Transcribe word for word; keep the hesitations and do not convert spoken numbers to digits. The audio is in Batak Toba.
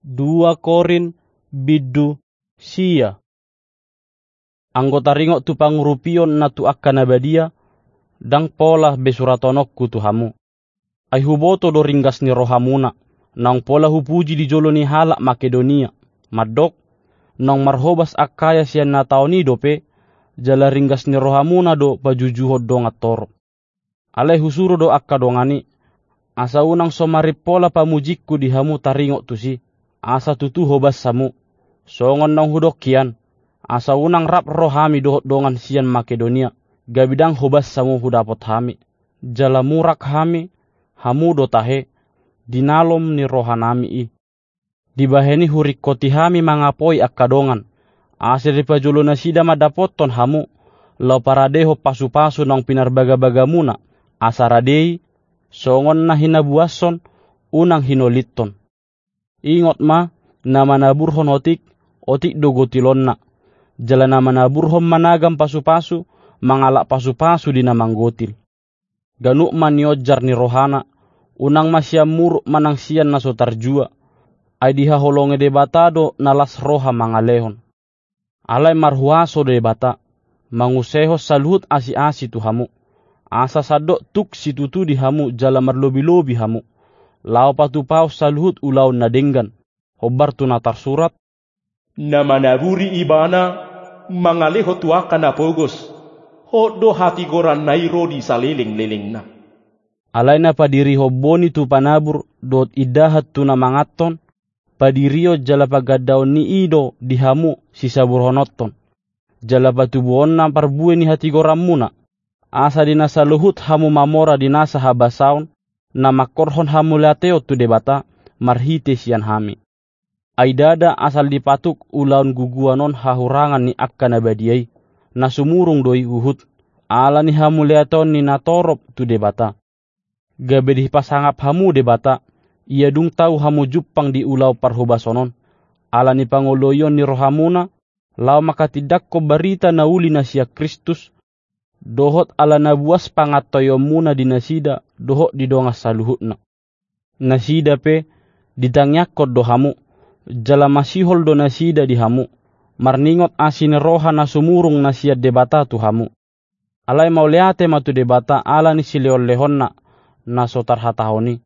Dua Korint bindu sia. Anggo taringot tu pangurupion na tu angka na badia, ndang pola be suratononku tu hamu. Ai huboto do ringgas ni rohamuna, naung pola hupuji di jolo ni halak Makedonia, mandok, naung marhobas Akaya sian na taon i dope, jala ringgas ni rohamuna do pajujuhon dongan torop. Alai husuru do angka dongan i, asa unang so marimpola pamujingku di hamu taringot tusi, asa tutu hobas hamu. Songon naung hudok hian, asa unang rap ro hami dohot dongan sian Makedonia, gabe ndang hobas hamu hudapot hami. Jala murak hami, hamu do tahe, di nalom ni rohanami i. Dibahen i huringkoti hami mangapoi angka dongan, asa dipajolo nasida mandapothon hamu, laho paradehon pasupasu naung pinarbagabagamuna, asa rade i, songon na hinabuashon, unang hinolithon. Ingot ma, na manaburhon otik, otik do gotilonna. Jala na manaburhon managam pasupasu, mangalap pasupasu di na manggotil. Ganup ma nionjar ni rohana, unang ma sian muruk manang sian na so tarjua. Ai dihaholongi Debata do na las roha mangalehon. Alai marhuaso Debata, mangusehon saluhut asiasi tu hamu. Asa sandok tuk situtu di hamu jala marlobilobi hamu. Laho patupahon saluhut ulaon na denggan, hombar tu na tarsurat, na manaburi ibana, mangalehon tu angka na pogos, hot do hatigoranna i ro di salelenglelengna. Alai na padirihon boni tu panabur, dohot indahan tu na manganhon, padirion jala pagandaon ni i do di hamu sisaburhononhon. Jala patubuonna parbue ni hatigoranmuna, asa di na saluhut hamu mamora di nasa habasaon, na mangkorhon hamuliateon tu Debata, marhite sian hami. Ai ndada asal dipatuk ulaon guguan on hahurangan ni angka na badia i, na sumurung do i huhut, ala ni hamuliateon ni natorop tu Debata. Gabe dipasangap hamu Debata, ia dung tau hamu jumpang di ulaon parhobason on, ala ni pangoloion ni rohamuna, laho mangkatindangkon barita na uli na sian Kristus, dohot ala na buas pangantoionmuna di nasida, dohot di dongan saluhutna. Nasida pe, ditangiangkon do hamu, jala masihol do nasida di hamu, marningot asi ni roha na sumurung na sian Debata tu hamu. Alai mauliate ma tu Debata ala ni silehonlehonna, na so tarhatahon i.